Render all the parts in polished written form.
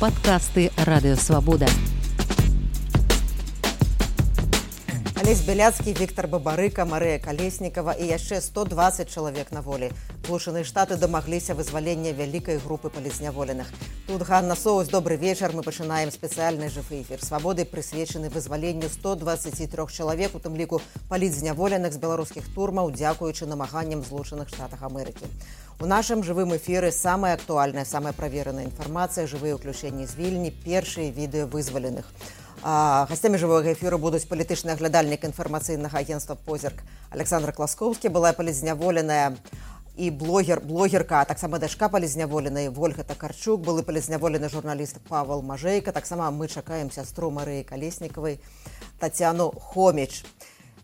Падкасты Радыёвабода. Алесь Беляцкі, Віктор Бабарыка, Марыя Калеснікава і яшчэ 120 чалавек на волі. Злучаныя Штаты дамагліся вызвалення вялікай групы палізняволеных. Тут Ганна Соус, добрый вечар. Мы пачынаем спецыяльны жывы эфір «Свабоды», прысвечаны вызваленню 123 чалавек, у тым ліку палізняволеных з беларускіх турмаў, дзякуючы намаганням Злучаных Штатах Амерыкі. У нашым жывым эфіры самая актуальная, самая правераная інфармацыя, жывыя ўключэнні з Вільні, першыя відэо вызваленых. Гостями живого эфиру будут политичный оглядальник информационного агентства «Позірк» Александр Класкоўскі, была палізняволеная и блогерка, а так само дачка палізняволенай Вольга Такарчук, былы палізняволены журналист Павел Мажейка, так само мы чакаем сястру Марыі Калеснікавай Татьяну Хоміч.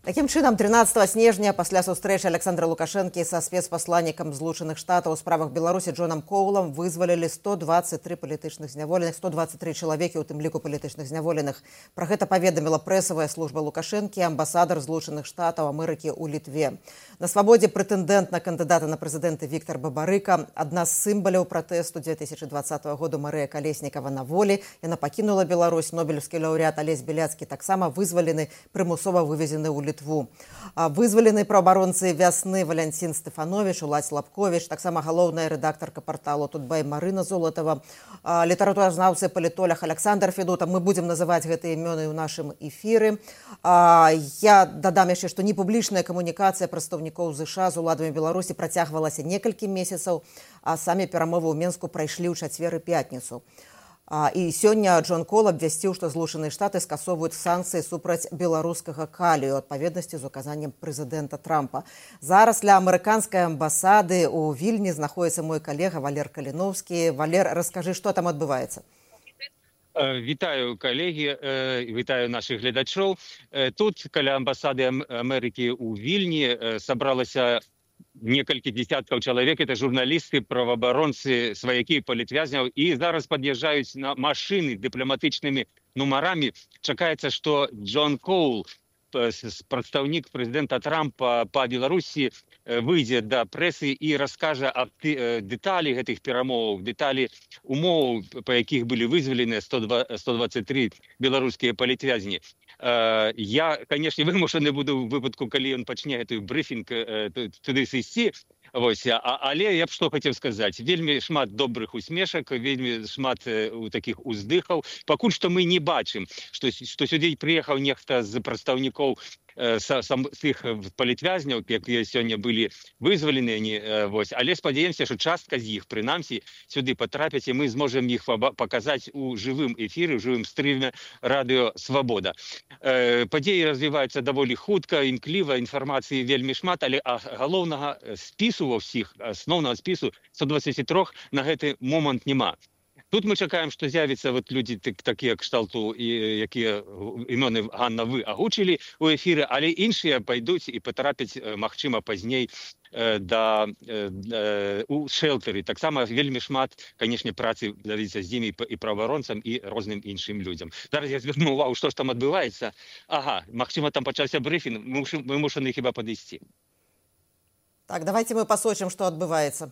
Таким чынам, 13 снежня, пасля сустрэчы Александра Лукашэнкі са спецпасланнікам Злучаных Штатаў у справах Беларусі Джонам Коулам вызвалілі 123 палітычных зняволеных, 123 чалавекі, у тым ліку палітычных зняволеных. Пра гэта паведаміла прэсавая служба Лукашэнкі, амбасадар Злучаных Штатаў Амерыкі ў Літве. На свабодзе прэтэндэнт на кандыдата на прэзідэнта Віктор Бабарыка, адна з сімваляў пратэсту 2020 году Марыя Калеснікава на волі. Яна пакінула Беларусь. Нобелевскі лаўрэат Алесь Беляцкі таксама вызвалены, прымусова вывезены ў Літву. Вызвалены праабаронцы «Вясны» Валянцін Стэфанович, Уладзь Лапкович, таксама галоўная рэдактарка парталу «Тутбай» Марына Золатава, літаратуразнаўцы, палітолог Александр Федота. Мы будзем называць гэтыя імёны ў нашым эфіры. Я дадам яшчэ, што непублічная камунікацыя прадстаўнікоў ЗША з уладамі Беларусі працягвалася некалькі месяцаў, а самі перамовы ў Менску прайшлі ў чацвер і пятніцу. І сёння Джон Кол абвясціў, што Злучаныя Штаты скасоўваюць санкцыі супраць беларускага калію ў адпаведнасці з указаннем прэзідэнта Трампа. Зараз ля амерыканскай амбасады ў Вільні знаходіцца мой калега Валер Каліноўскі. Валер, раскажы, што там адбываецца? Вітаю, калегі, вітаю наших глядачоў. Тут, каля амбасады Амерыкі ў Вільні, сабралася некалькі десяткаў чалавек. Это журналісты, праваабаронцы, сваякі палітвязняў. І зараз пад'язджаюць на машыны дыпламатычнымі нумарамі. Чакаецца, што Джон Коул, прадстаўнік прэзідэнта Трампа па Беларусі, выйдзе да прэсы і раскажа аб дэталі гэтых перамоваў, дэталі умоў, па якіх былі вызвалены 123 беларускія палітвязні. Я, конечно, вымушаны буду у выпадку, калі ён пачне гэты брыфінг туды сысці, але я б што хацеў сказаць. Вельмі шмат добрых усмешак, вельмі шмат такіх уздыхаў. Пакуль што мы не бачым, што сюды прыехаў нехта з прадстаўнікоў тых палітвязняў, якія сёння былі вызвалены, але спадзяемся, што частка з іх, прынамсі, сюды патрапяць, і мы зможам іх паказаць у жывым эфіры, у жывым стрыме радыё «Свабода». Падзеі развіваюцца даволі хутка, імкліва, інфармацыі вельмі шмат, але галоўнага спісу ва ўсіх, асноўнага спісу 123 на гэты момант няма. Тут мы чакаем, што з'явіцца людзі такія кшталту, якія імёны, Ганна, вы агучылі ў эфіры, але іншыя пайдуць і патрапяць, магчыма, пазней у шэлтары. Таксама вельмі шмат, канешне, працы давіцца з імі і праваабаронцам, і розным іншым людзям. Зараз я звярну ўвагу, што ж там адбываецца. Магчыма, там пачаўся брыфінг, мы вымушаны хіба падысці. Так, давайте мы пасочым, што адбываецца.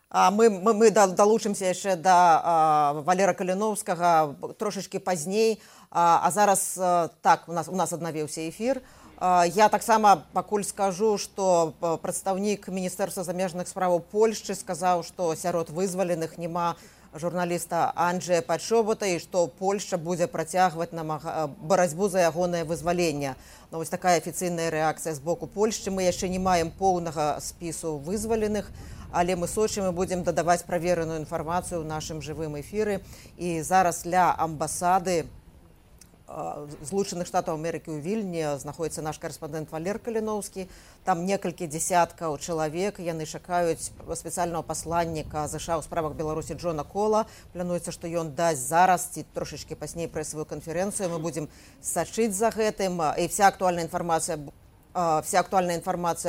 Мы далучымся яшчэ да Валера Каліноўскага трошачкі пазней, а зараз так, у нас аднавіўся эфір. Я таксама пакуль скажу, што прадстаўнік Міністэрства замежных справаў Польшчы сказаў, што сярод вызваленых няма журналіста Анджэя Пачобота і што Польшча будзе працягваць барацьбу за ягонае вызваленне. Вось такая афіцыйная рэакцыя з боку Польшчы. Мы яшчэ не маем поўнага спісу вызваленых, але мы сочым і будзем дадаваць правераную інфармацыю ў нашым жывым эфіры. І зараз ля амбасады Злучаных Штатаў Амерыкі ў Вільні знаходіцца наш карэспандэнт Валер Каліноўскі. Там некалькі дзесяткаў чалавек. Яны чакаюць спецыяльнага пасланніка ЗША ў справах Беларусі Джона Кола. Плануецца, што ён дасць зараз ці трошачкі пазней прэсавую канферэнцыю. Мы будзем сачыць за гэтым. І вся актуальная інфармацыя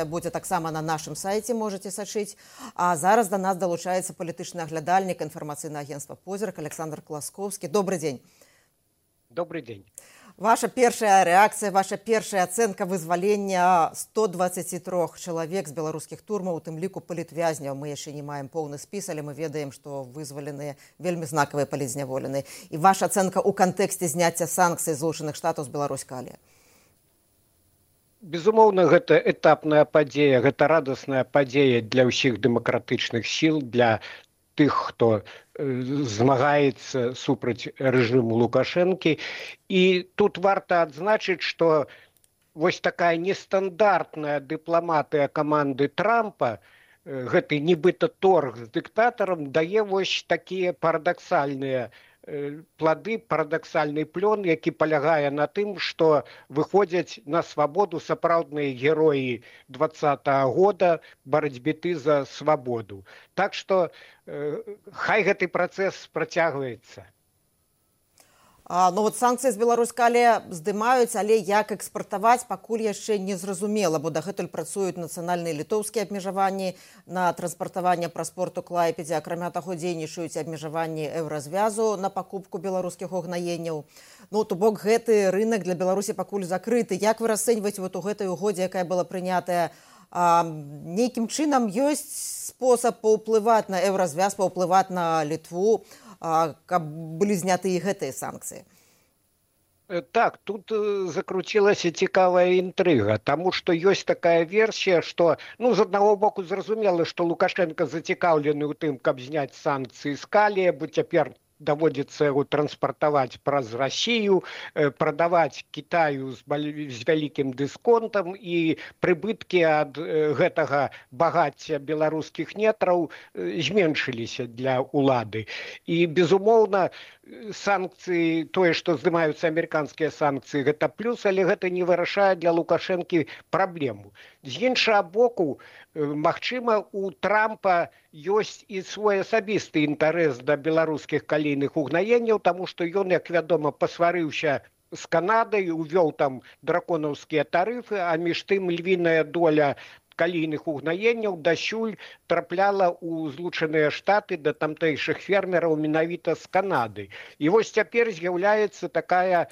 будзе таксама на нашым сайце, можаце сачыць. А зараз да нас далучаецца палітычны аглядальнік інфармацыйнага агентства «Позірк» Александр Класкоўскі. Добрый дзень. Добрый день. Ваша першая рэакцыя, ваша першая ацэнка вызвалення 123 чалавек з беларускіх турмаў, у тым ліку палітвязняў. Мы яшчэ не маем поўны спіс, але мы ведаем, што вызваленыя вельмі знакавыя палітзняволеныя. І ваша ацэнка ў кантэксце зняцця санкцый Злучаных Штатаў з Беларусь-Калія. Безумоўна, гэта этапная падзея, гэта радасная падзея для ўсіх дэмакратычных сіл, для тых, хто змагаецца супраць рэжыму Лукашэнкі. І тут варта адзначыць, што вось такая нестандартная дыпламатыя каманды Трампа, гэты нібыта торг з дыктатарам, дае вось такія парадаксальныя плады, парадаксальны плён, які палягае на тым, што выходзяць на свабоду сапраўдныя героі 20-го года барацьбіты за свабоду. Так што хай гэты працэс працягваецца. Ну вот санкцыі з Беларусь-Калія здымаюць, але як экспартаваць, пакуль яшчэ не зразумела, бо дагэтуль працуюць нацыянальныя літоўскія абмежаванні на транспартаванне праз порт у Клайпедзе, акрамя таго дзейнічаюць абмежаванні еўразвязу на пакупку беларускіх угнаенняў. Ну, то бок гэты рынок для Беларусі пакуль закрыты. Як вы расцэньваеце вот у гэтай угодзе, якая была прынятая, нейкім чынам ёсць спосаб паўплываць на еўразвяз, паўплываць на Літву, каб былі зняты і гэтыя санкцыі? Так, тут закруцілася цікавая інтрыга, таму што ёсць такая версія, што, з аднаго боку зразумела, што Лукашенко зацікаўлены ў тым, каб зняць санкцыі з Калія, бо цяпер даводзіцца яго транспартаваць праз Расію, прадаваць Кітаю з вялікім дысконтам, і прыбыткі ад гэтага багацця беларускіх нетраў зменшыліся для ўлады. І, безумоўна, санкцыі, тое, што здымаюцца амерыканскія санкцыі, гэта плюс, але гэта не вырашае для Лукашэнкі праблему. З іншага боку, магчыма, у Трампа ёсць і свой асабісты інтарэс да беларускіх калійных угнаенняў, таму што ён, як вядома, пасварыўся з Канадай, увёў там драконаўскія тарыфы, а між тым львіная доля калійных угнаенняў дасюль трапляла ў Злучаныя Штаты да тамтэйшых фермераў менавіта з Канады. І вось цяпер з'яўляецца такая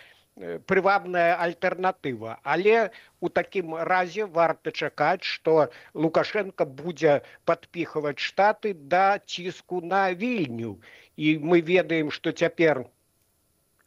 прывабная альтэрнатыва. Але у такім разе варта чакаць, што Лукашенко будзе падпіхваць Штаты да ціску на Вільню. І мы ведаем, што цяпер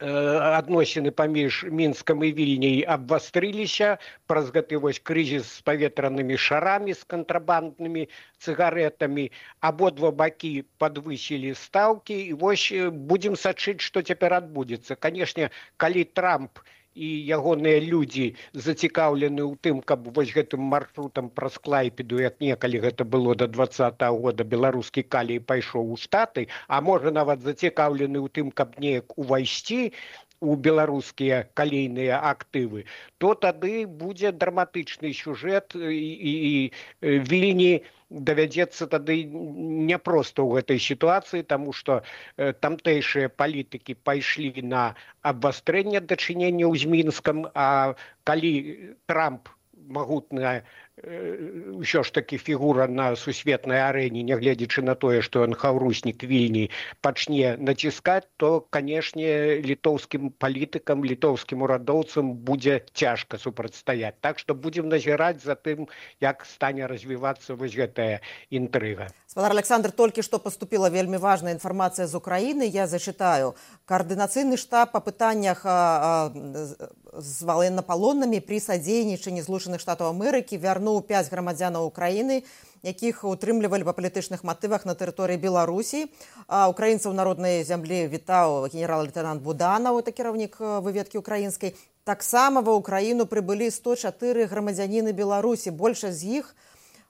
адносіны паміж Мінскам і Вільняй абвастрыліся праз гэты вось крызіс з паветранымі шарамі, з кантрабанднымі цыгаретамі. Абодва бакі падвысілі стаўкі, і вось будзем сачыць, што цяпер адбудзецца. Канешне, калі Трамп і ягоныя людзі зацікаўлены ў тым, каб вось гэтым маршрутам праз Клайпеду, як некалі гэта было да 20-го года, беларускі калій пайшоў у Штаты, а можа нават зацікаўлены ў тым, каб неяк увайсці у беларускія калійныя актывы, то тады будзе драматычны сюжэт, і Вільні давядзецца тады няпроста ў гэтай сітуацыі, таму што тамтэйшыя палітыкі пайшлі на абвастрэнне дачыненняў з Мінскам, а калі Трамп магутная ўсё ж такі фігура на сусветнай арэне, нягледзячы на тое, што ён хаўруснік Вільні, пачне націскаць, то, канешне, літоўскім палітыкам, літоўскім урадоўцам будзе цяжка супрацьстаяць. Так што будзем назіраць за тым, як стане развівацца вось гэтая інтрыга. Спадар Александр, толькі што поступила вельмі важная інфармацыя з Украіны. Я зачитаю. Координаційний штаб по пытаннях з военнополоннымі при садзейнічанні Злучаных Штатаў Амерыкі вярнуў 5 грамадзянаў Украіны, якіх утрымлівалі па палітычных матывах на тэрыторыі Беларусі. Украінцаў народнай зямлі вітаў генерал-лейтенант Буданаў, это кіраўнік выведкі украінскай. Таксама ва Украіну прыбылі 104 грамадзяніны Беларусі. Большасць з іх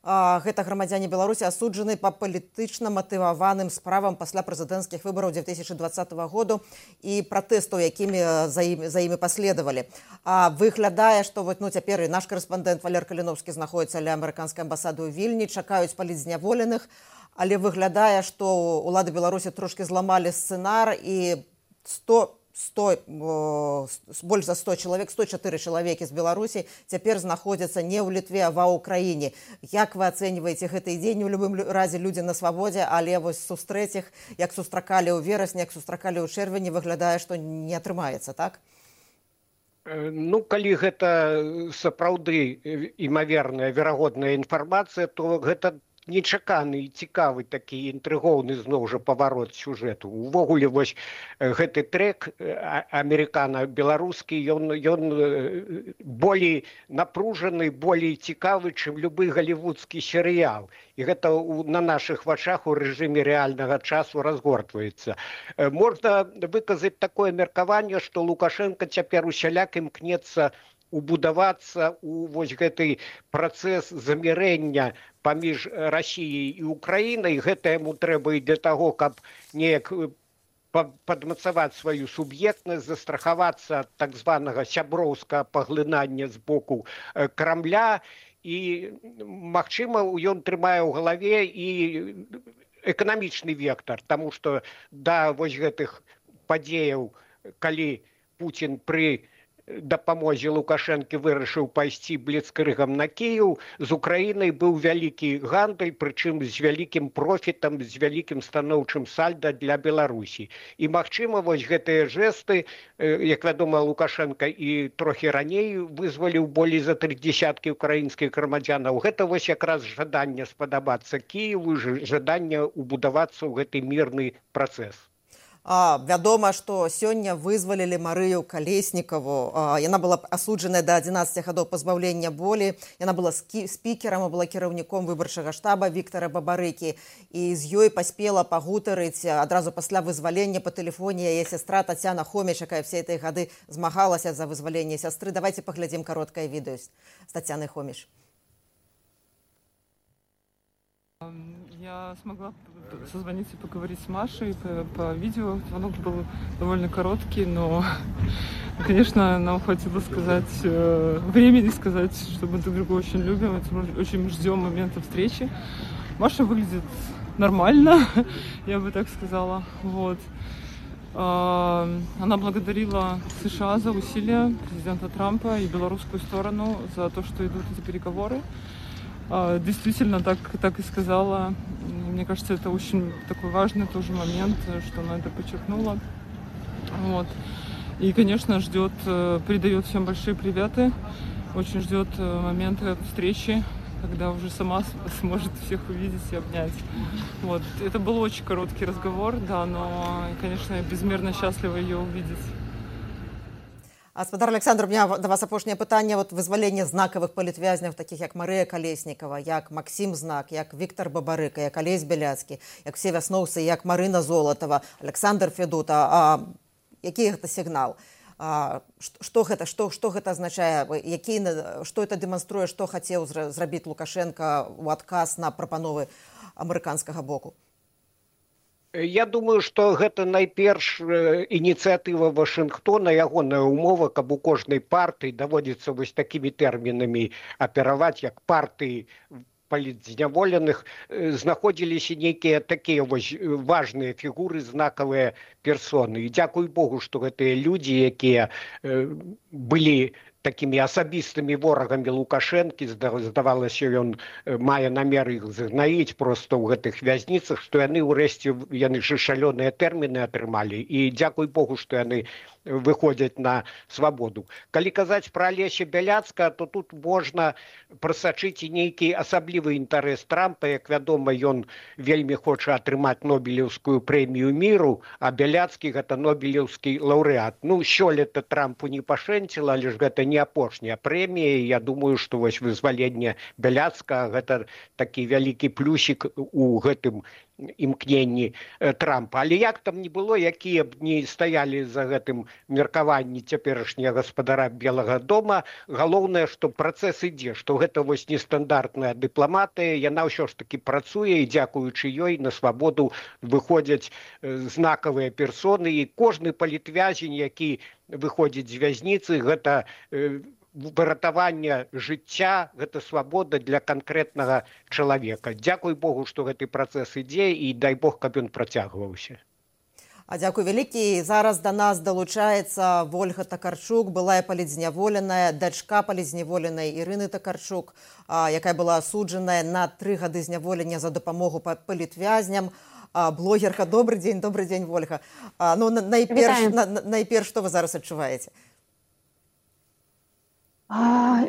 гэта грамадзяне Беларусі асуджаны па палітычна матываваным справам пасля прэзідэнцкіх выбараў 2020 году і пратэстаў, якімі за імі паследавалі. Выглядае, што цяпер і наш карэспандэнт Валер Каліновскі знаходіцца ля амерыканскай амбасады ў Вільні, чакаюць палітзняволеных, але выглядае, што ўлады Беларусі трошкі зламалі сцэнар і больш за 100 чалавек, 104 чалавекі з Беларусі цяпер знаходзяцца не ў Літве, а ва ўкраіне. Як вы ацэньваеце гэты дзень? У любым разе людзі на свабодзе, але вось сустрэць іх, як сустракалі ў верасні, як сустракалі ў чэрвені, выглядае, што не атрымаецца, так? Ну, калі гэта сапраўды імаверная, верагодная інфармацыя, то гэта нечаканы і цікавы такі інтрыгоўны зноў жа паварот сюжэту. Увогуле вось гэты трек амерыкана-беларускі, ён болей напружаны, болей цікавы, чым любы галівудскі серыял. І гэта на нашых вачах у рэжыме рэальнага часу разгортваецца. Можна выказаць такое меркаванне, што Лукашенко цяпер усяляк імкнецца убудавацца у вось гэты працэс замірэння паміж Расіяй і Украінай. Гэта яму трэба і для таго, каб неяк падмацаваць сваю суб'ектнасць, застрахавацца ад так званага сяброўскага паглынання з боку Крамля. І, магчыма, ён трымае ў галаве і эканамічны вектар, таму што да вось гэтых падзеяў, калі Пуцін пры дапамозе Лукашэнкі вырашыў пайсці бліцкрыгам на Кіеў, з Украінай быў вялікі гандаль, прычым з вялікім профітам, з вялікім станоўчым сальда для Беларусі. І, магчыма, вось гэтыя жэсты, як вядома, Лукашенка і трохі раней вызваліў болей за 30 украінскіх грамадзянаў. Гэта вось якраз жаданне спадабацца Кіеву, жаданне убудавацца ў гэты мірны працэс. Вядома, што сёння вызвалілі Марыю Калеснікаву. Яна была асуджаная да 11 гадоў пазбаўлення волі. Яна была спікерам, была кіраўніком выбарчага штаба Віктара Бабарыкі. І з ёй паспела пагутарыць адразу пасля вызвалення па тэлефоне яе сястра Тацяна Хоміч, якая все этой гады змагалася за вызваленне сястры. Давайте паглядзім кароткае відэо з Тацянай Хоміч. Я смогла созвониться и поговорить с Машей по видео. Звонок был довольно короткий, но, конечно, нам хватило времени сказать, что мы друг друга очень любим, очень ждем момента встречи. Маша выглядит нормально, я бы так сказала. Вот. Она благодарила США за усилия президента Трампа и белорусскую сторону за то, что идут эти переговоры. Действительно, так и сказала. Мне кажется, это очень такой важный тоже момент, что она это подчеркнула. Вот. И, конечно, передает всем большие приветы. Очень ждет момента встречи, когда уже сама сможет всех увидеть и обнять. Вот. Это был очень короткий разговор, да, но, конечно, я безмерно счастлива ее увидеть. Спадар Александр, у меня до вас апошняе пытанне. Вот вызваленне знакавых палітвязняў, таких як Марыя Калеснікава, як Максім Знак, як Віктар Бабарыка, як Алесь Бяляцкі, як все вясноўцы, як Марына Золатова, Александр Федута. Які гэта сігнал? Што гэта азначае? Што это дэманструе, што хацеў зрабіць Лукашенко ў адказ на прапановы амерыканскага боку? Я думаю, што гэта найперш ініцыятыва Вашынгтона, ягоная ўмова, каб у кожнай партыі даводзіцца вось такімі тэрмінамі апераваць, як партыі палітзняволеных, знаходзіліся нейкія такія вось важныя фігуры, знакавыя персоны. І дзякуй Богу, што гэтыя людзі, якія былі такімі асабістымі ворагамі Лукашэнкі, здавалася, ён мае намер іх загнаіць проста ў гэтых вязніцах, што яны ўрэшце ж шалёныя тэрміны атрымалі. І дзякуй Богу, што яны выходзяць на свабоду. Калі казаць пра Алеся Бяляцкага, то тут можна прасачыць і нейкі асаблівы інтарэс Трампа. Як вядома, ён вельмі хоча атрымаць Нобелеўскую прэмію міру, а Бяляцкі гэта Нобелеўскі лаўрэат. Ну, сёлета Трампу не пашэнціла, але ж гэта не апошняя прэмія. Я думаю, што вось вызваленне Бяляцкага гэта такі вялікі плюсік у гэтым імкненні Трампа. Але як там не было, якія б не стаялі за гэтым меркаванні цяперашняга гаспадара Белага дома, галоўнае, што працэс ідзе, што гэта вось нестандартная дыпламатыя, яна ўсё ж такі працуе, і дзякуючы ёй на свабоду выходзяць знакавыя персоны, і кожны палітвязень, які выходзіць з вязніцы, гэта выратаванне жыцця, гэта свабода для канкрэтнага чалавека. Дзякуй Богу, што гэты працэс ідзе, і дай Бог, каб ён працягваўся. Дзякуй вялікі. Зараз да нас далучаецца Вольга Такарчук, былая палітзняволеная, дачка палітзняволенай Ірыны Такарчук, якая была асуджаная на 3 гады зняволення за дапамогу палітвязням. Блогерка, добрый дзень, Вольга. Ну, найперш, што вы зараз адчуваеце?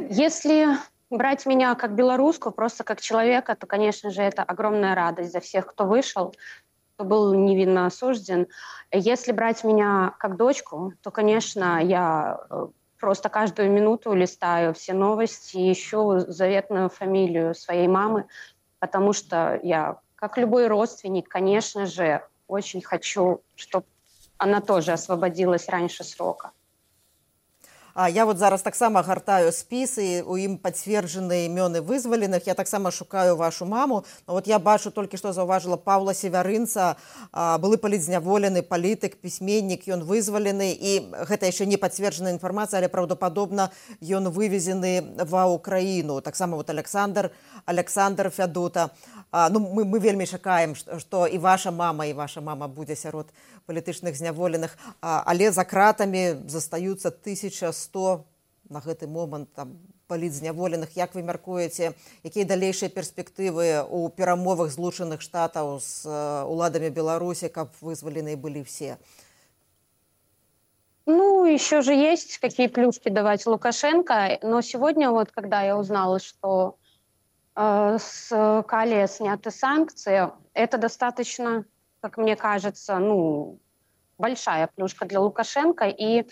Если брать меня как белорусскую, просто как человека, то, конечно же, это огромная радость за всех, кто вышел, кто был невинно осужден. Если брать меня как дочку, то, конечно, я просто каждую минуту листаю все новости, ищу заветную фамилию своей мамы, потому что я, как любой родственник, конечно же, очень хочу, чтобы она тоже освободилась раньше срока. Я вот зараз таксама гартаю спіс, і у ім пацверджаны імёны вызваленых. Я таксама шукаю вашу маму. Вот я бачу, толькі што заўважыла Паўла Севярынца, былы палітзняволены палітык, пісьменнік, ён вызвалены. І гэта яшчэ не пацверджаная інфармацыя, але праўдападобна ён вывезены ва Ўкраіну. Таксама вот Александр Фядута. Мы вельмі чакаем, што і ваша мама будзе сярод палітычных зняволеных, але за кратамі застаюцца 1100 на гэты момант палітзняволеных. Як вы мяркуеце, якія далейшыя перспектывы у перамовах Злучаных Штатаў з уладамі Беларусі, каб вызваленыя былі все? Ну, еще же есть какие плюшки давать Лукашенко, но сегодня вот, когда я узнала, что с Калия сняты санкции, это достаточно, как мне кажется, большая плюшка для Лукашенко. И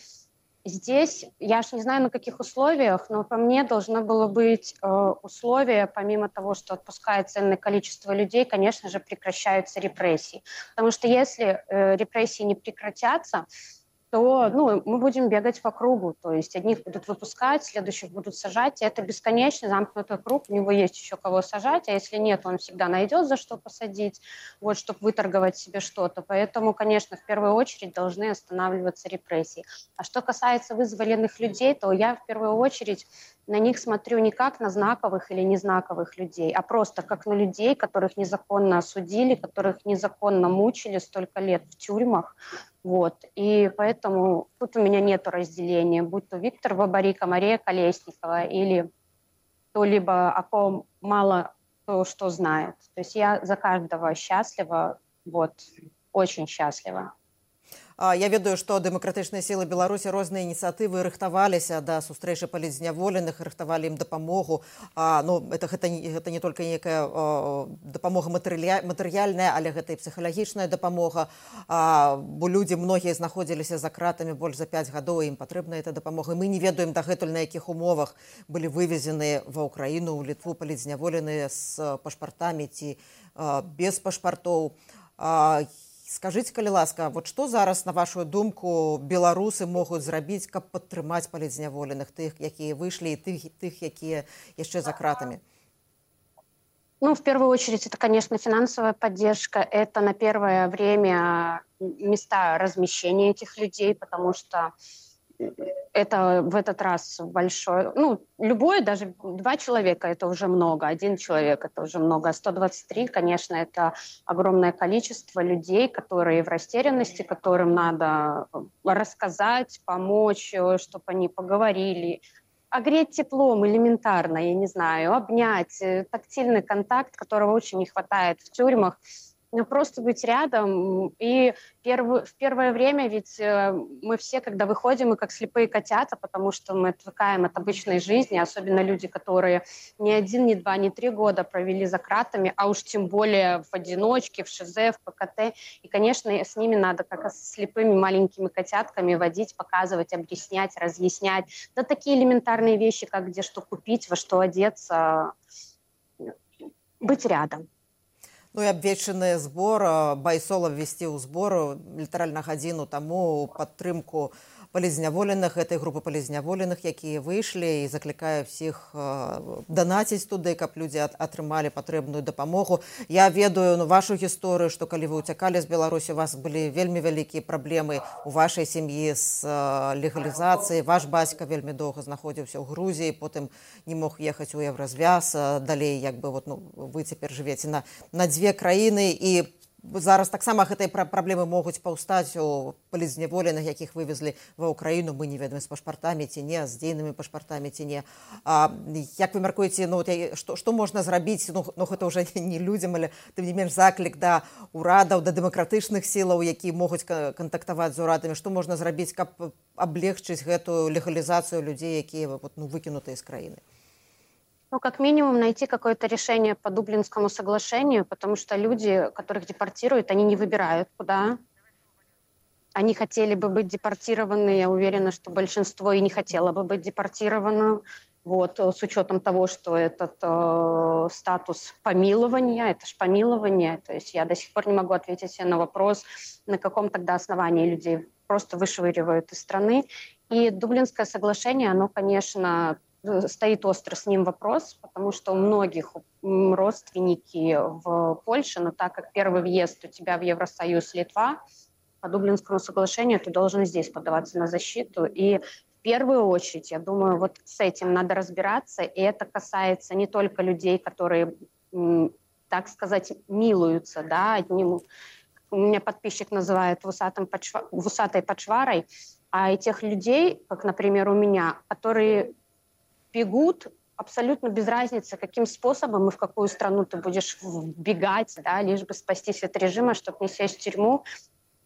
здесь, я ж не знаю, на каких условиях, но по мне должно было быть условие, помимо того, что отпускается ценное количество людей, конечно же, прекращаются репрессии. Потому что если репрессии не прекратятся, то мы будем бегать по кругу. То есть одних будут выпускать, следующих будут сажать. И это бесконечный замкнутый круг. У него есть еще кого сажать, а если нет, он всегда найдет, за что посадить, вот, чтобы выторговать себе что-то. Поэтому, конечно, в первую очередь должны останавливаться репрессии. А что касается вызволенных людей, то я в первую очередь на них смотрю не как на знаковых или незнаковых людей, а просто как на людей, которых незаконно осудили, которых незаконно мучили столько лет в тюрьмах. Вот. И поэтому тут у меня нет разделения, будь то Виктор Бабарика, Мария Колесникова или кто-либо, о ком мало кто что знает. То есть я за каждого счастлива, вот, очень счастлива. Я ведаю, што дэмакратычныя сілы Беларусі розныя ініцыятывы рыхтаваліся да сустрэчы палітзняволеных, рыхтавалі ім дапамогу. Гэта не толькі некая дапамога матэрыяльная, але гэта і псіхалагічная дапамога. Бо людзі многія знаходзіліся за кратамі больш за 5 гадоў, ім патрэбна эта дапамога. Мы не ведаем дагэтуль, на якіх умовах былі вывезены ва Ўкраіну, у Літву палітзняволеныя з пашпартамі ці без пашпартоў. Скажыце, калі ласка, вот што зараз, на вашу думку, беларусы могуць зрабіць, каб падтрымаць палітзняволеных, тых, якія выйшлі, і тых, якія яшчэ за кратамі? В первую очередь, это, конечно, финансовая поддержка. Это на первое время места размещения этих людей, потому что это в этот раз большое... любое, даже 2 человека, это уже много. 1 человек, это уже много. А 123, конечно, это огромное количество людей, которые в растерянности, которым надо рассказать, помочь, чтобы они поговорили, огреть теплом элементарно, я не знаю, обнять, тактильный контакт, которого очень не хватает в тюрьмах. Просто быть рядом. И в первое время ведь мы все, когда выходим, мы как слепые котята, потому что мы отвыкаем от обычной жизни, особенно люди, которые не 1, не 2, не 3 года провели за кратами, а уж тем более в одиночке, в ШЗ, в ПКТ. И, конечно, с ними надо, как с слепыми маленькими котятками, водить, показывать, объяснять, разъяснять. Да такие элементарные вещи, как где что купить, во что одеться, быть рядом. І абвешчаны збор, Байсолов ввесціў збор літаральна гадзіну таму ў падтрымку палітзняволеных, этой групы палітзняволеных, якія выйшлі, і заклікае ўсіх данаціць туды, каб людзі атрымалі патрэбную дапамогу. Я ведаю вашу гісторыю, што калі вы ўцякалі з Беларусі, у вас былі вельмі вялікія праблемы у вашай сям'і з легалізацыяй. Ваш бацька вельмі доўга знаходзіўся ў Грузіі, потым не мог ехаць у Еўразвяз. Далей, вы цяпер жывеце на 2 краіны, і зараз таксама гэтай праблемы могуць паўстаць у палізняволеных, якіх вывезлі ва ўкраіну, мы не ведаем, з пашпартамі ці не, з дзейнымі пашпартамі ці не. Як вы мяркуеце, што можна зрабіць, гэта ўжо не людзям, але тым не менш заклік да ўрадаў, да дэмакратычных сілаў, якія могуць кантактаваць з урадамі, што можна зрабіць, каб аблегчыць гэтую легалізацыю людзей, якія выкінутыя з краіны? Как минимум найти какое-то решение по Дублинскому соглашению, потому что люди, которых депортируют, они не выбирают, куда. Они хотели бы быть депортированы, я уверена, что большинство и не хотело бы быть депортировано. С учетом того, что этот статус помилования, это ж помилование, то есть я до сих пор не могу ответить себе на вопрос, на каком тогда основании людей просто вышвыривают из страны. И Дублинское соглашение, оно, конечно, стоит остро с ним вопрос, потому что у многих родственники в Польше, но так как первый въезд у тебя в Евросоюз Литва, по Дублинскому соглашению ты должен здесь подаваться на защиту. И в первую очередь, я думаю, с этим надо разбираться, и это касается не только людей, которые, так сказать, милуются, да, у меня подписчик называет вусатой почварой, а и тех людей, как, например, у меня, которые бегут абсолютно без разницы, каким способом и в какую страну ты будешь бегать, да, лишь бы спастись от режима, чтобы не сесть в тюрьму.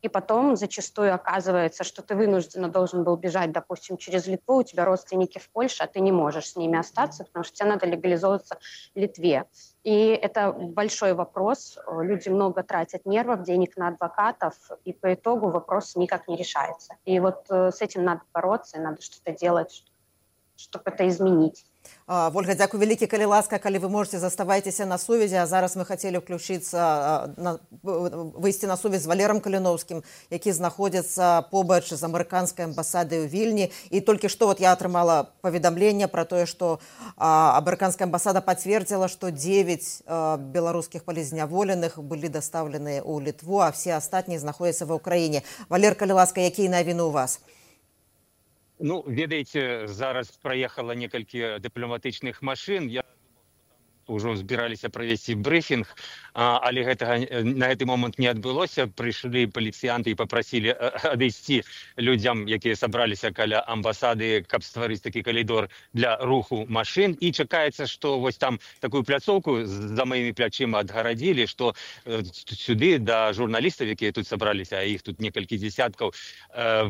И потом зачастую оказывается, что ты вынужденно должен был бежать, допустим, через Литву, у тебя родственники в Польше, а ты не можешь с ними остаться, потому что тебе надо легализовываться в Литве. И это большой вопрос. Люди много тратят нервов, денег на адвокатов, и по итогу вопрос никак не решается. И с этим надо бороться, и надо что-то делать, чтобы это изменить. Вольга, дзякуй вялікі, калі ласка, калі вы можете, заставайцеся на сувязі, а зараз мы хацелі выйсці на сувязь з Валерам Каліноўскім, які знаходзіцца побач з амерыканскай амбасадай у Вільні. І толькі што я атрымала паведамленне пра тое, што амерыканская амбасада пацвердзіла, што 9 беларускіх палізняволеных былі дастаўленыя ў Літву, а все астатнія знаходзяцца ва ўкраіне. Валер, калі ласка, якія навіны ў вас? Ведаеце, зараз праехала некалькі дыпламатычных машын. Я ўжо збіраліся правесці брыфінг, але на гэты момант не адбылося. Прыйшлі паліцыянты і папрасілі адысці людзям, якія сабраліся каля амбасады, каб стварыць такі калідор для руху машын. І чакаецца, што там такую пляцоўку за маімі плячыма адгарадзілі, што сюды да журналістаў, якія тут сабраліся, а іх тут некалькі дзесяткаў,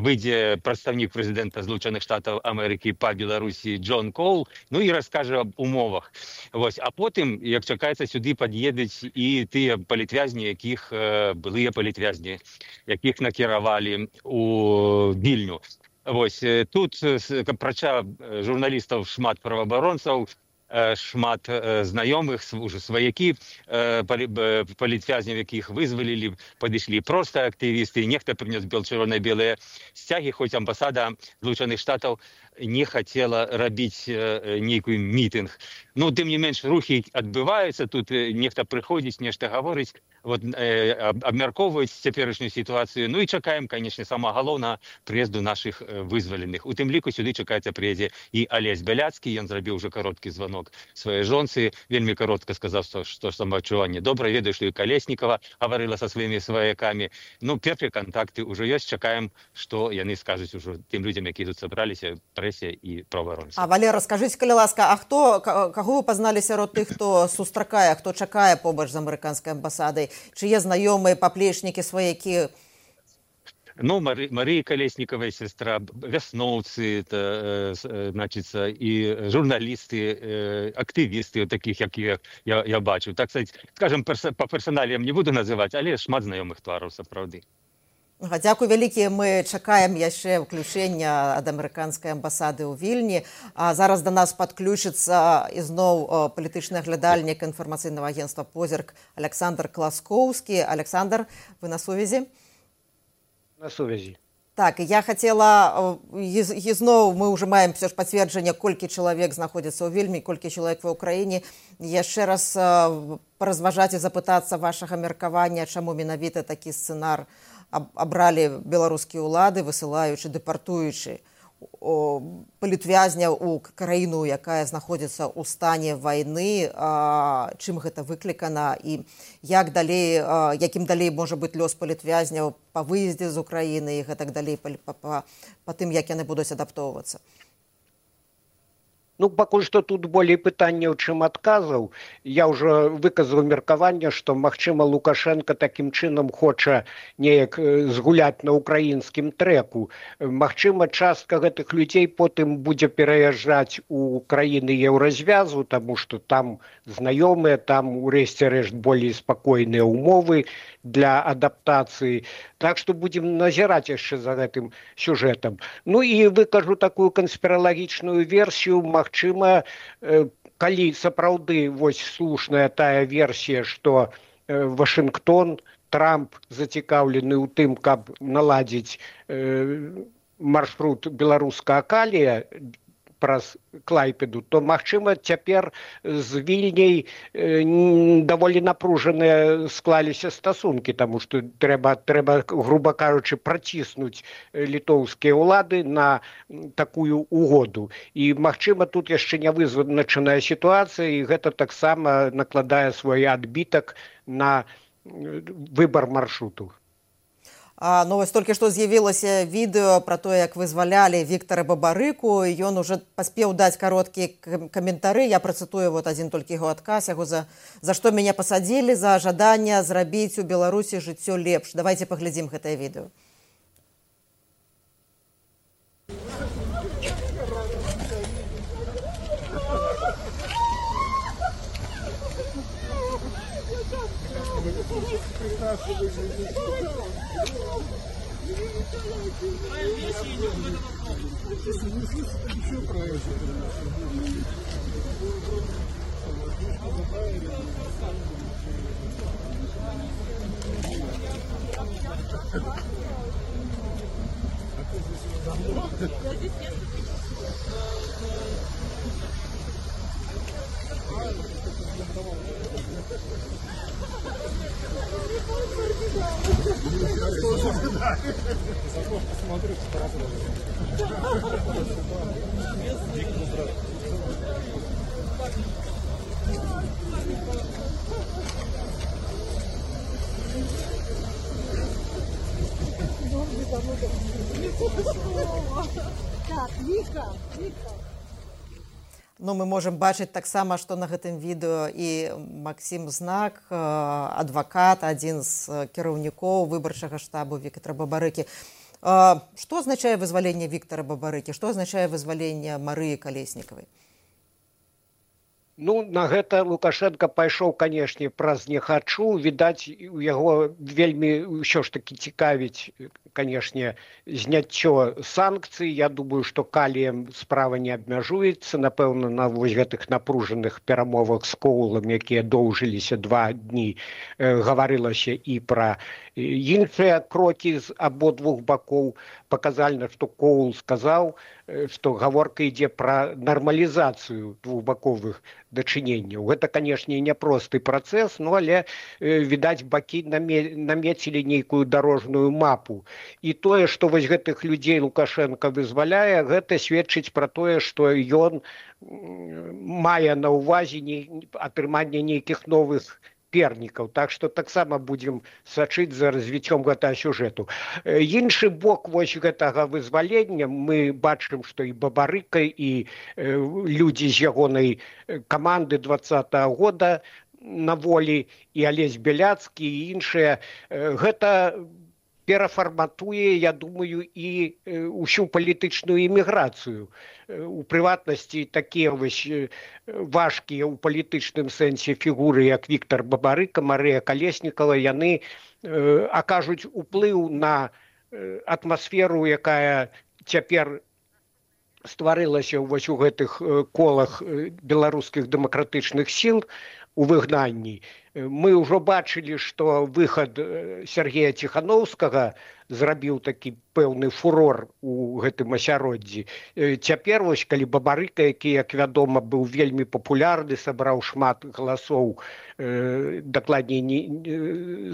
выйдзе прадстаўнік прэзідэнта Злучаных Штатаў Амерыкі па Беларусі Джон Коул, і раскажа аб умовах. А потым, як чакаецца, сюды пад'едуць і тыя палітвязні, якіх былыя палітвязні, якіх накіравалі у Вільню. Тут, апрача журналістаў, шмат праваабаронцаў, шмат знаёмых, уже сваякі палітвязняў, якіх вызвалілі, падышлі проста актывісты, нехта прынёс чырвона-белыя сцягі, хоць амбасада Злучаных Штатаў не хотела рабіць нейкую мітынг. Тым не менш, рухі адбываюцца, тут нехта прыходзіць, нешта гаворыць, абмяркоўваюць цяперашнюю сітуацыю. І чакаем, канечне, сама галоўна прыезду нашых вызваленых. У тым ліку сюды чакаецца прыедзе і Алесь Бяляцкі, ён зрабіў уже кароткі званок сваёй жонцы, вельмі каротка сказаў, што самаадчуванне добра, ведаю, што і Калеснікава гаварыла са сваімі сваякамі. Першыя кантакты ўжо ёсць, чакаем, што яны скажуць ужо тым людзям, якія тут сабраліся, прэсе і праваабаронцы. Валер, скажыце, калі ласка, каго вы пазналі сярод тых, хто сустракае, хто чакае побач з амерыканскай амбасадай? Чые знаёмыя, паплечнікі, сваякі? Мария Колесникова, сестра, вясноўцы, значится, і журналісты, актывісты, таких, як я бачу. Так сказать, скажем, по персоналіям не буду называть, але шмат знаёмых твараў, сапраўды. Дзякуй вялікі, мы чакаем яшчэ ўключэння ад амерыканскай амбасады ў Вільні. Зараз да нас падключыцца ізноў палітычны аглядальнік інфармацыйнага агентства «Позірк» Александр Класкоўскі. Александр, вы на сувязі? На сувязі. Так, я хотела, ізноў мы ўжо маем все ж пацверджанне, колькі чалавек знаходзіцца ў Вільні, колькі чалавек ва ўкраіне. Яшчэ раз паразважаць і запытацца вашага меркавання, чаму менавіта такі сцэнар абралі беларускія ўлады, высылаючы, дэпартуючы палітвязняў у краіну, якая знаходзіцца ў стане вайны, чым гэта выклікана і якім далей можа быць лёс палітвязняў па выездзе з Украіны і гэтак далей па тым, як яны будуць адаптоўвацца? Ну, пакуль што тут болей пытанняў, чым адказаў. Я ўжо выказаў меркаванне, што, магчыма, Лукашенко такім чынам хоча неяк згуляць на украінскім трэку. Магчыма, частка гэтых людзей потым будзе пераязджаць у краіны еўразвязу, таму што там знаёмыя, там, у рэшце рэшт, болей спакойныя ўмовы для адаптацыі. Так што будзем назіраць яшчэ за гэтым сюжэтам. Ну і выкажу такую канспіралагічную версію. Магчыма, калі сапраўды вось слушная тая версія, што Вашынгтон, Трамп зацікаўлены ў тым, каб наладзіць маршрут беларускага калія праз Клайпеду, то, магчыма, цяпер з Вільняй даволі напружаныя склаліся стасункі, таму што трэба, груба кажучы, праціснуць літоўскія ўлады на такую угоду. І, магчыма, тут яшчэ не вызначаная сітуацыя, і гэта таксама накладае свой адбітак на выбар маршруту. Ну, вось толькі што з'явілася відэо пра тое, як вызвалялі Віктара Бабарыку, і ён уже паспеў даць кароткія каментары. Я працытую вот адзін толькі яго адказ, яго за што мяне пасадзілі, за жаданне зрабіць у Беларусі жыццё лепш. Давайте паглядзім гэтае відэо. Ну, мы можам бачыць таксама, што на гэтым відэо і Максім Знак, адвакат, адзін з кіраўнікоў выбарчага штабу Віктара Бабарыкі. Што азначае вызваленне Віктара Бабарыкі? Што азначае вызваленне Марыі Калеснікавай? Ну, на гэта Лукашенко пайшоў, канешне, праз не хачу. Відаць, у яго вельмі ўсё ж такі цікавіць, канешне, зняццё санкцый. Я думаю, што каліем справа не абмяжуецца. Напэўна, на вось гэтых напружаных перамовах з Коулам, якія доўжыліся 2 дні, гаварылася і пра іншыя крокі з абодвух бакоў. Паказальна, што Коул сказаў, што гаворка ідзе пра нармалізацыю двухбаковых дачыненняў. Гэта, канешне, няпросты працэс, ну, але, відаць, бакі намецілі нейкую дарожную мапу. І тое, што вось гэтых людзей Лукашенко вызваляе, гэта сведчыць пра тое, што ён мае на ўвазе атрыманне нейкіх новых пернікаў. Так што таксама будзем сачыць за развіццём гэтага сюжэту. Іншы бок вось гэтага вызвалення, мы бачым, што і Бабарыка, і людзі з ягонай каманды 20-го года на волі, і Алесь Бяляцкі, і іншыя. Гэта перафарматуе, я думаю, і ўсю палітычную іміграцыю. У прыватнасці такія вось важкія ў палітычным сэнсе фігуры, як Віктар Бабарыка, Марыя Калеснікава, яны акажуць уплыў на атмасферу, якая цяпер стварылася вось у гэтых колах беларускіх дэмакратычных сіл. у выгнанні. Мы ўжо бачылі, што выхад Сергея Ціхановскага зрабіў такі пэўны фурор у гэтым асяроддзі. Цяпер вось калі Бабарыка, які, як вядома, быў вельмі папулярны, сабраў шмат галасоў, дакладней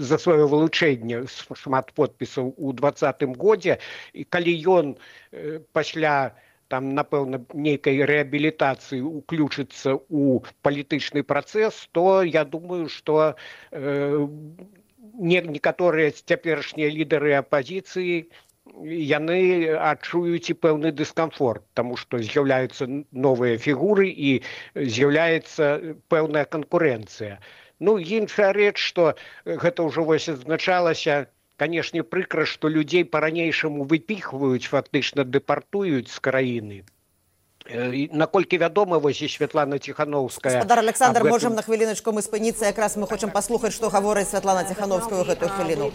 за сваё вылучэнне, шмат подпісаў у 2020 годзе, і калі ён пасля там, напэўна, нейкай рэабілітацыі уключыцца ў палітычны працэс, то я думаю, што некаторыя цяперашнія лідары апазіцыі яны адчуюць і пэўны дыскамфорт, таму што з'яўляюцца новыя фігуры і з'яўляецца пэўная канкурэнцыя. Ну, іншая рэч, што гэта ўжо вось адзначалася, канешне, прыкра, што людзей па-ранейшаму выпіхваюць, фактычна дэпартуюць з краіны. Наколькі вядома, вось і Святлана Ціхановская... Гаспадар Александр, можам на хвіліначку мы спыніцца, якраз мы хочам паслухаць, што гаворыць Святлана Ціхановская ў гэтую хвіліну.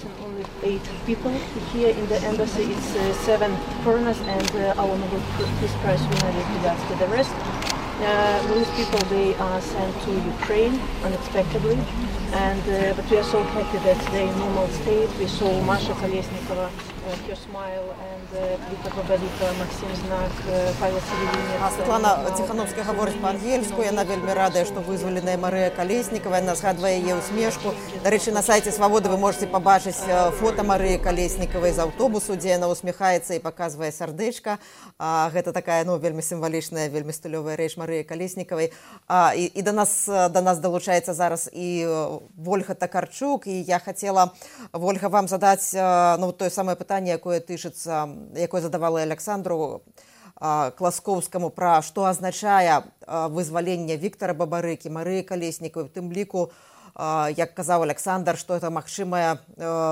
These people, they are sent to Ukraine unexpectedly, but we are so happy that they're in normal state. We saw Masha Kolesnikova, her smile, and Viktor Babarika, Максим Знак, Павел Севелинец. Святлана Ціхановская гаворыць па-ангельску, яна вельмі радая, што вызваленая Марыя Калеснікава, яна згадвае яе усмешку. Да рэчы, на сайце Свабоды вы можете пабачыць фота Марыі Калеснікавай з аўтобусу, дзе яна усміхаецца і паказвае сардэчка. Гэта такая, вельмі сімвалічная, вельмі стылёвая рэч Марыі Калеснікавай. І да нас далучаецца зараз і Вольга Такарчук, і я хацела, Вольга, вам задаць тое самае пытанне, якое тычыцца, якое задавала Александру Класкоўскаму, пра што азначае вызваленне Віктара Бабарыкі, Марыі Калеснікавай, у тым ліку, як казаў Александр, што это магчымая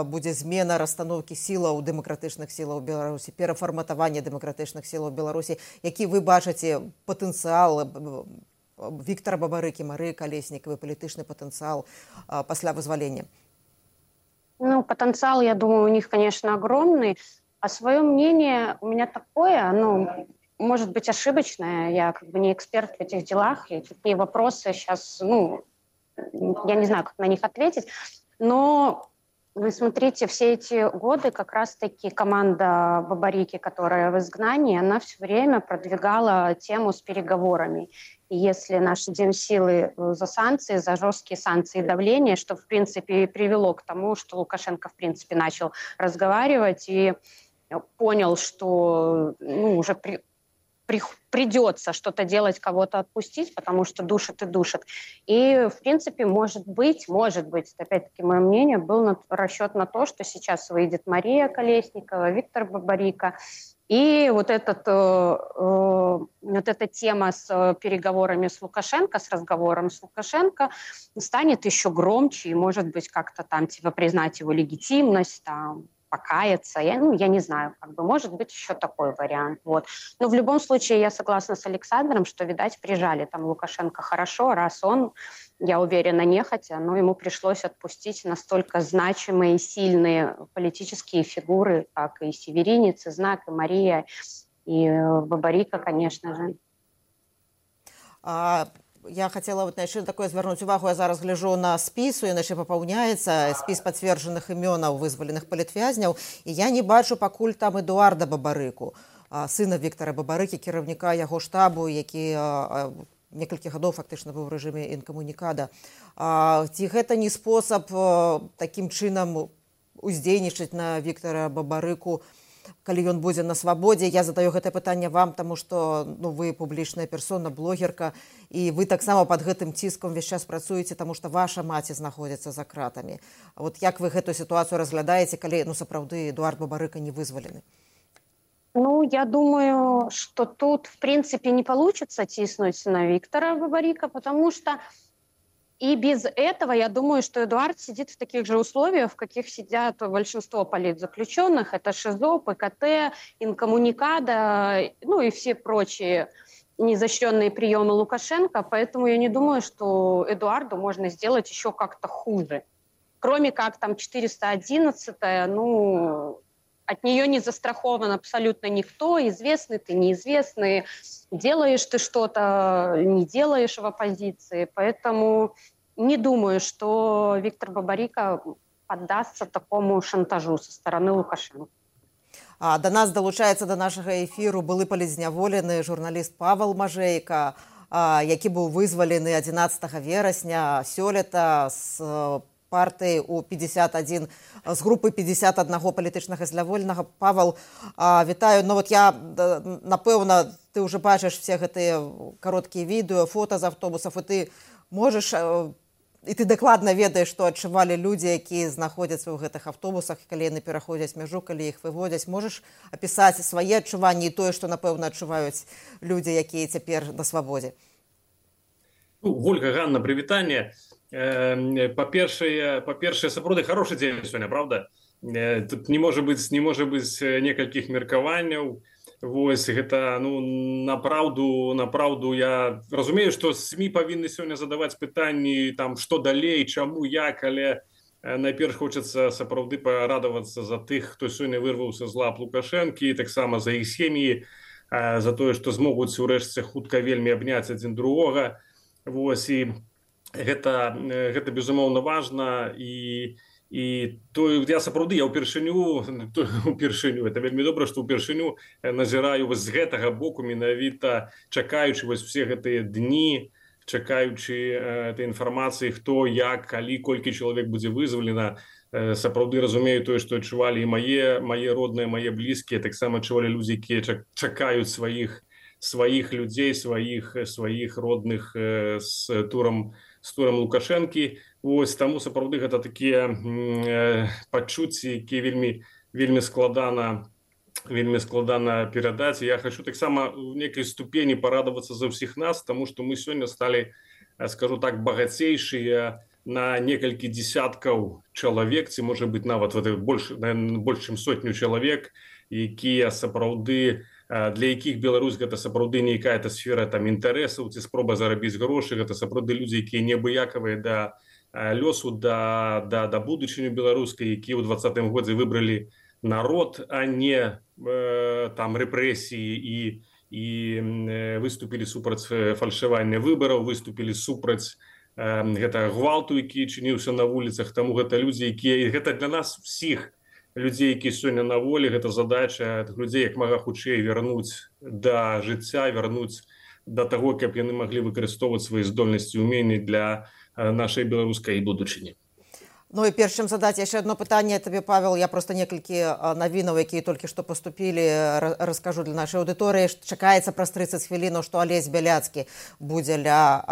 будзе змена расстаноўкі сілаў, дэмакратычных сілаў Беларусі, перафарматаванне дэмакратычных сілаў Беларусі. Які вы бачыце патэнцыял Віктара Бабарыкі, Марыі Калеснікавай, палітычны патэнцыял пасля вызвалення? Потенциал, я думаю, у них, конечно, огромный. А свое мнение у меня такое, может быть, ошибочное. Я не эксперт в этих делах. И такие вопросы сейчас, я не знаю, как на них ответить. Но вы смотрите, все эти годы как раз-таки команда Бабарики, которая в изгнании, она все время продвигала тему с переговорами. И если наши демсилы за санкции, за жесткие санкции и давление, что, в принципе, и привело к тому, что Лукашенко, в принципе, начал разговаривать и понял, что уже придется что-то делать, кого-то отпустить, потому что душит и душит. И, в принципе, может быть, опять-таки, мое мнение, был расчет на то, что сейчас выйдет Мария Колесникова, Виктор Бабарика, и вот эта тема с переговорами с Лукашенко, с разговором с Лукашенко станет еще громче, и, может быть, как-то там признать его легитимность, покаяться. Я не знаю, может быть еще такой вариант. Вот. Но в любом случае я согласна с Александром, что, видать, прижали там Лукашенко хорошо, раз он, я уверена, нехотя, но ему пришлось отпустить настолько значимые и сильные политические фигуры, как и Северинец, и Знак, и Мария, и Бабарика, конечно же. Я хотела яшчэ такое звярнуць увагу, я зараз гляжу на спіс, ён яшчэ папаўняецца, спіс пацверджаных імёнаў вызваленых палітвязняў, і я не бачу пакуль там Эдуарда Бабарыку, сына Віктара Бабарыкі, кіраўніка яго штабу, які некалькі гадоў фактычна быў у рэжыме інкамунікада. Ці гэта не спосаб такім чынам уздзейнічаць на Віктара Бабарыку, калі ён будзе на свабодзе? Я задаю гэта пытанне вам, таму што вы публічная персона, блогерка, і вы таксама пад гэтым ціскам увесь час працуеце, таму што ваша маці знаходзіцца за кратамі. Вот як вы гэтую сітуацыю разглядаеце, калі сапраўды Эдуард Бабарыка не вызвалены? Я думаю, что тут, в принципе, не получится тиснуть на Виктора Бабарика, потому что и без этого, я думаю, что Эдуард сидит в таких же условиях, в каких сидят большинство политзаключенных. Это ШИЗО, ПКТ, инкоммуникада, и все прочие неизощренные приемы Лукашенко. Поэтому я не думаю, что Эдуарду можно сделать еще как-то хуже. Кроме как там 411-я, от нее не застрахован абсолютно никто, известный ты, неизвестный, делаешь ты что-то, не делаешь в оппозиции. Поэтому не думаю, что Виктор Бабарика поддастся такому шантажу со стороны Лукашенко. Да нас далучаецца да нашага эфіру былы палізняволены журналіст Павел Мажейка, які быў вызвалены 11 верасня сёлета з партыі у 51 з групы 51 палітычнага зняволенага. Павел, вітаю. Ну вот я, напэўна, ты ўжо бачыш все гэтыя кароткія відэо, фота з аўтобусаў, і ты можаш, і ты дакладна ведаеш, што адчувалі людзі, якія знаходзяцца ў гэтых аўтобусах, калі яны пераходзяць мяжу, калі іх выводзяць. Можаш апісаць свае адчуванні і тое, што, напэўна, адчуваюць людзі, якія цяпер на свабодзе? Вольга, Ганна, прывітанне. Па-першае, сапраўды хорошы дзень сёння, правда? Тут не можа быць некалькіх меркаванняў. Вось, гэта, напраўду я разумею, што СМІ павінны сёння задаваць пытанні, там, што далей, чаму, як, але найперш хочацца сапраўды парадавацца за тых, хто сёння вырваўся з лап Лукашэнкі, таксама за іх сем'і, за тое, што змогуць урэшце хутка вельмі абняць адзін другога. Вось, і гэта безумоўна важна, і то я сапраўды упершыню, это вельмі добра, што ўпершыню назіраю вось з гэтага боку, менавіта чакаючы вось все гэтыя дні, чакаючы этой інфармацыі, хто, як, калі, колькі чалавек будзе вызвалена. Сапраўды разумею тое, што адчувалі і мае родныя, мае блізкія, таксама адчувалі людзі, якія чакаюць сваіх людзей, сваіх родных з турам Лукашэнкі. Ось, таму сапраўды гэта такія пачуцці, якія вельмі складана перадаць. Я хочу таксама ў некай ступені парадавацца за ўсіх нас, таму што мы сёння сталі, скажу так, багацейшыя на некалькі десяткаў чалавек, ці можа быць нават больш чым сотню чалавек, якія сапраўды, для якіх Беларусь гэта сапраўды нейкая сфера там інтарэсаў ці спроба зарабіць грошы. Гэта сапраўды людзі, якія неабыякавыя да лёсу, да будучыні беларускай, якія ў 20-м годзе выбралі народ, а не там рэпрэсіі, і выступілі супраць фальшавання выбараў, выступілі супраць гэтага гвалту, які чыніўся на вуліцах. Таму гэта людзі, якія, гэта для нас усіх людзей, якія сёння на волі, гэта задача людзей як мага хутчэй вярнуць да жыцця, вярнуць да таго, каб яны маглі выкарыстоўваць свае здольнасці і ўменні для нашай беларускай будучыні. Ну і перш чым задаць яшчэ одно пытанне табе, Павел, я просто некалькі навінаў, якія толькі што паступілі, раскажу для нашай аўдыторыі. Чакаецца праз 30 хвілінаў, што Алесь Бяляцкі будзе ля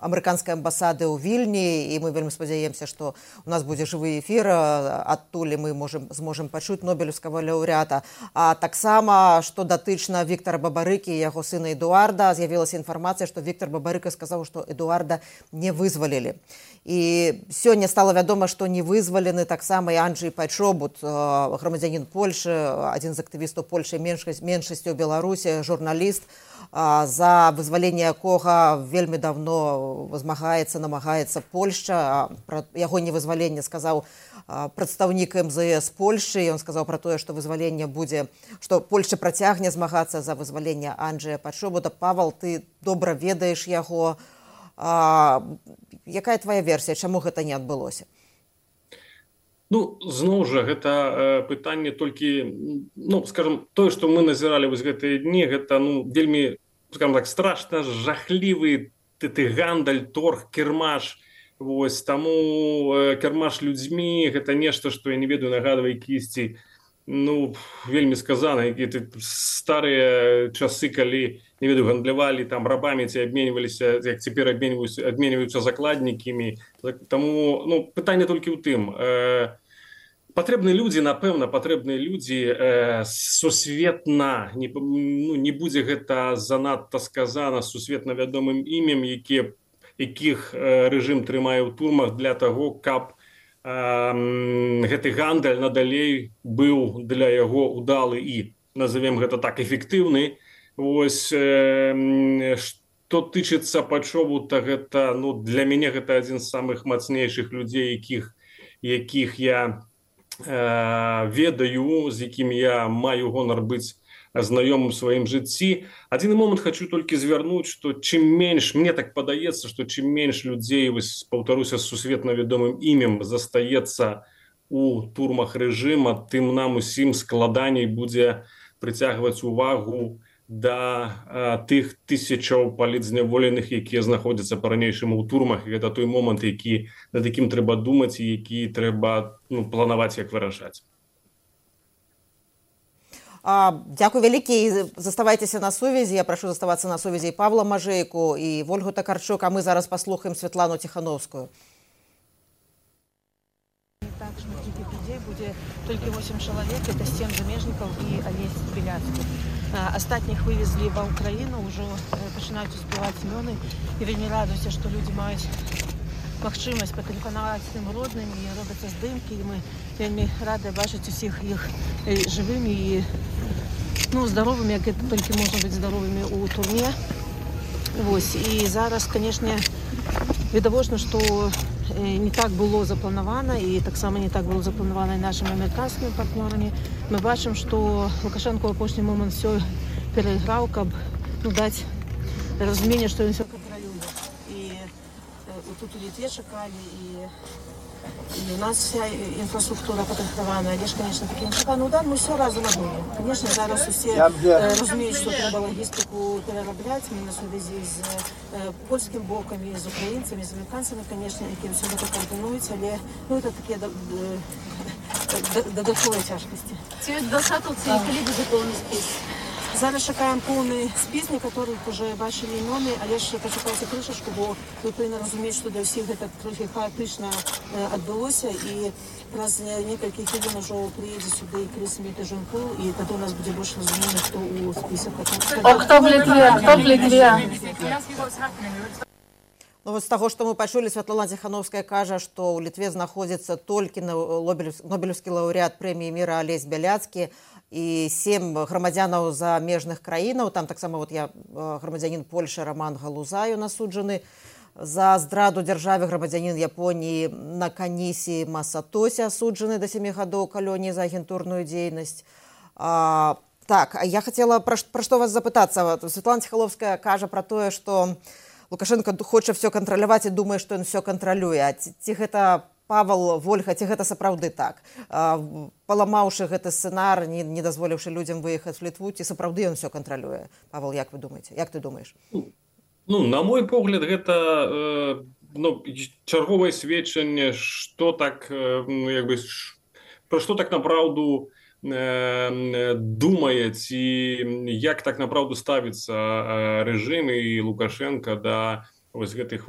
амерыканскай амбасады ў Вільні, і мы вельмі спадзяемся, што у нас будзе жывы эфір, адтуль мы зможам пачуць нобелеўскага лаўрэата. А таксама, што датычна Віктара Бабарыкі і яго сына Эдуарда, з'явілася інфармацыя, што Віктар Бабарыка сказаў, што Эдуарда не вызвалілі. І сёння стала вядома, што не вызвалены таксама і Анджэй Пайчобут, грамадзянін Польшы, адзін з актывістаў Польшы, меншасцю ў Беларусі, журналіст, за вызваленне якога вельмі давно намагаецца Польшча. Пра яго невызваленне сказаў прадстаўнік МЗС Польшчы. Ён сказаў пра тое, што вызваленне будзе, што Польшча працягне змагацца за вызваленне Анджэя Пайчобута. Павел, ты добра ведаеш яго. Якая твоя версія, чаму гэта не адбылося? Зноў жа, гэта пытанне толькі, скажем, тое, што мы назіралі вось гэтыя дні, гэта вельмі, скажем так, страшна жахлівы гандаль, торг, кірмаш. Вось, таму кірмаш людзьмі, гэта нешта, што я не ведаю, нагадвае кісці, вельмі сказана, якія старыя часы, калі, не ведаю, гандлявалі там рабамі, ці абменьваліся, як цяпер абменьваюцца закладнікамі. Таму пытанне толькі ў тым. Патрэбныя людзі, напэўна, сусветна, не будзе гэта занадта сказана, сусветна вядомым імем, якіх рэжым трымае ў турмах для таго, каб гэты гандаль надалей быў для яго удалы і, назовем гэта так, эфектыўны. Вось, што тычыцца Пайчобута, гэта, для мяне гэта адзін з самых мацнейшых людзей, якіх я ведаю, з якім я маю гонар быць знаёмым у сваім жыцці. Адзіны момант хочу толькі звярнуць, што чым менш, мне так падаецца, што чым менш людзей, вось паўтаруся, з сусветна вядомым імем застаецца у турмах рэжыма, тым нам усім складаней будзе прыцягваць увагу да тых тысячаў палітзняволеных, якія знаходзяцца па-ранейшаму ў турмах. І гэта той момант, над якім трэба думаць і які трэба планаваць, як вырашаць. Дякую вялікі. Заставайцеся на сувязі. Я прашу заставацца на сувязі і Павла Мажэйку, і Вольгу Такарчук, а мы зараз паслухаем Святлану Ціхановскую. Так, што такіх людзей будзе толькі 8 чалавек, это 7 замежнікаў і Алесь Беляцкі. Астатніх вывезлі ва ўкраіну, ўжо пачынаюць успяваць імёны. І вельмі радуюся, што людзі маюць магчымасць патэлефанаваць тым родным, і робяцца здымкі, і мы вельмі рады бачыць усіх іх жывымі і здаровымі, як гэта толькі можна быць здаровымі ў турме. Вось. І зараз, канешне, відавочна, што не так было запланавана, і таксама не так было запланавана і нашымі амерыканскімі партнёрамі. Мы бачым, што Лукашенко ў апошні момант все перайграў, каб даць разуменне, што ён все кантралюе. І тут у Літве чакалі, і у нас вся інфраструктура падрыхтавана. Але ж, конечно, такі нечаканы удар, мы все разам адумалі. Конечно, зараз усе разумеюць, што трэба лагістыку перарабляць. Мы на сувязі з польскім бокам, з украінцамі, з амерыканцамі, конечно, якім все гэта координуюць, але это такія дадатковыя цяжкасці. Ці дасатаўцы, калі будзе поўны спіс? Зараз чакаем поўны спіс, некаторых уже бачылі імёны, але ж пачакайце крышачку, бо вы павінны разумець, што для ўсіх гэта трохі хаатычна адбылося, і праз некалькі хвілін ужо прыедзе сюды Крыс Мітаженкоў, і тады у нас будзе больш разумення, хто ў спісах. Хто в Літве? З таго, што мы пачулі, Святлана Ціхановская кажа, што ў Літве знаходзіцца толькі нобелеўскі лаўрэат прэміі міра Алесь Беляцкі і 7 грамадзянаў замежных краінаў. Там таксама грамадзянін Польшы Роман Галузаю насуджаны за здраду дзяржаве, грамадзянін Японіі Наканісі Масатося асуджаны да 7 гадоў калоніі за агентурную дзейнасць. Так, я хацела пра што вас запытацца. Святлана Ціхановская кажа пра тое, што Лукашенко хоча все кантраляваць і думае, што ён все кантралюе. Ці гэта, Павел, Вольга, ці гэта сапраўды так? Паламаўшы гэты сцэнар, не дазволіўшы людзям выехаць в Літву, ці сапраўды ён все кантралюе? Павел, як вы думаеце? Як ты думаеш? На мой погляд, гэта чарговае сведчанне, што так, пра што так направду думаюць і як так направду ставіцца рэжым і Лукашенко да гэтых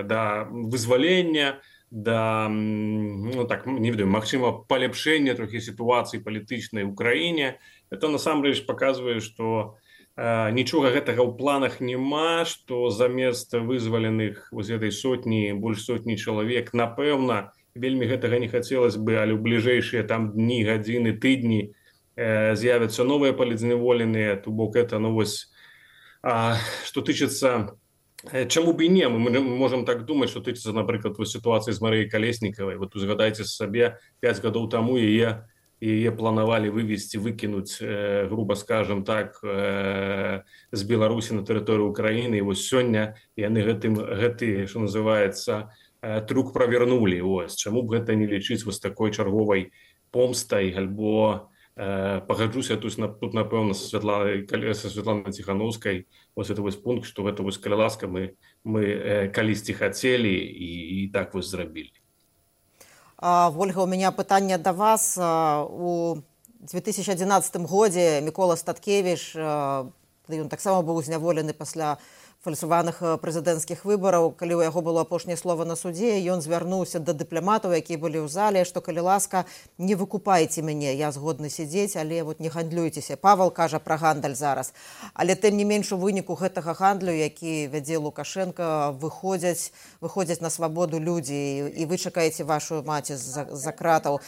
да вызвалення, да магчыма паляпшэння трохі сітуацыі палітычнай ў краіне. Это насамрэч паказвае, што нічога гэтага ў планах няма, што замест вызваленых гэтай сотні, больш сотні чалавек, напэўна, вельмі гэтага не хацелось бы, але ў бліжэйшыя там дні, гадзіны, тыдні з'явяцца новыя палітзняволеныя. То бок это, што тычыцца, чаму б і не, мы можам так думаць, што тычыцца, напрыклад, сітуацыі з Марыяй Калеснікавай. Узгадайце сабе, 5 гадоў таму яе планавалі вывезці, выкінуць, груба скажем так, з Беларусі на тэрыторыю Украіны. І вось сёння яны гэты, што называецца, трюк правернулі. Чаму б гэта не лічыць такой чарговай помстай, альбо пагаджуся тут, напэўна, са Святланай Ціхановскай, это пункт, што гэта, калі ласка, мы калісьці хацелі і так зрабілі. Вольга, у меня пытанне да вас. У 2011 годзе Мікола Статкевіч, ён таксама быў зняволены пасля фальсаваных прэзідэнцкіх выбараў. Калі ў яго было апошняе слова на судзе, ён звярнуўся да дыпламатаў, якія былі ў зале, што, калі ласка, не выкупайце мяне, я згодны сядзець, але не гандлюйцеся. Павел кажа пра гандаль зараз. Але тым не менш, у выніку гэтага гандлю, які вядзе Лукашенко, выходзяць на свабоду людзі, і вы чакаеце вашу маці за кратаў.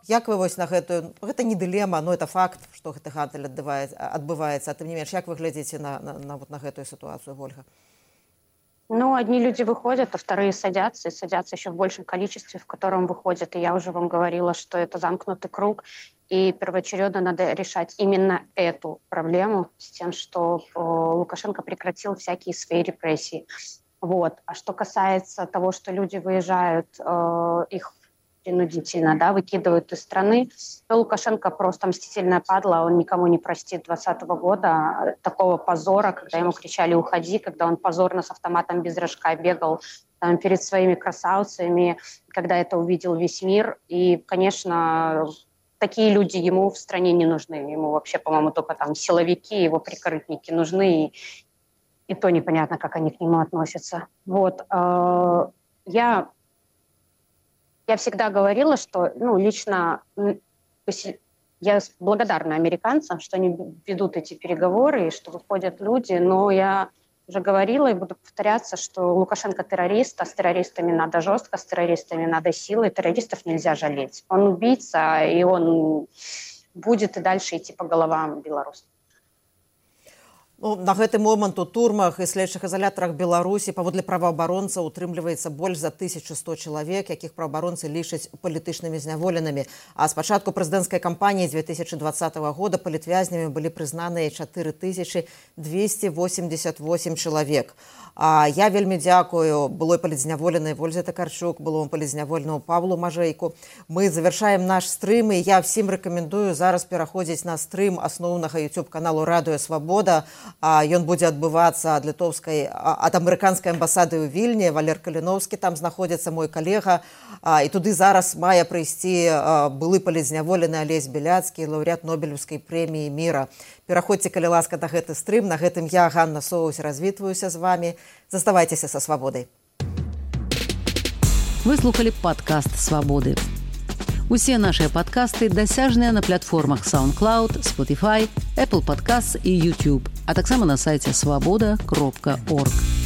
Як вы на гэтую, гэта не дылема, но это факт, што гэты гандаль адбываецца. А тым не менш, як вы глядзіце на гэтую ситуацию, Ольга? Одни люди выходят, а вторые садятся, и садятся еще в большем количестве, в котором выходят. И я уже вам говорила, что это замкнутый круг. И первоочередно надо решать именно эту проблему с тем, что Лукашенко прекратил всякие свои репрессии. Вот. А что касается того, что люди выезжают, их принудительно, да, выкидывают из страны, то Лукашенко просто мстительная падла, он никому не простит 2020 года такого позора, когда ему кричали «уходи», когда он позорно с автоматом без рожка бегал там, перед своими красавцами, когда это увидел весь мир. И, конечно, такие люди ему в стране не нужны. Ему вообще, по-моему, только там силовики, его прикрытники нужны, и то непонятно, как они к нему относятся. Вот. Я всегда говорила, что, лично я благодарна американцам, что они ведут эти переговоры, и что выходят люди, но я уже говорила и буду повторяться, что Лукашенко террорист, а с террористами надо жестко, с террористами надо силой, террористов нельзя жалеть. Он убийца, и он будет и дальше идти по головам белорусов. На гэты момант у турмах і следчых ізалятарах Беларусі паводле праваабаронцаў утрымліваецца больш за 1100 чалавек, якіх праваабаронцы лічаць палітычнымі зняволенымі. А з пачатку прэзідэнцкай кампаніі 2020 года палітвязнямі былі прызнаныя 4288 чалавек. Я вельмі дзякую былой палітзняволенай Вользе Такарчук, былому палітзняволенаму Павлу Мажэйку. Мы завяршаем наш стрым, і я всім рэкамендую зараз пераходзіць на стрым асноўнага YouTube-каналу «Радыё Свабода». Ён будзе адбывацца ад амерыканскай амбасады ў Вільні. Валер Каліноўскі там знаходзіцца, мой калега. І туды зараз мае прыйсці былы палітзняволены Алесь Беляцкі, лаўрэат Нобелеўскай прэміі міра. Пераходзьце, калі ласка, на гэты стрым. На гэтым я, Ганна Соус, развітваюся з вами. Заставайцеся са свабодай. Вы слухали падкаст «Свабоды». Усе нашыя падкасты дасяжныя на платформах SoundCloud, Spotify, Apple Podcasts і YouTube, а таксама на сайце swaboda.org.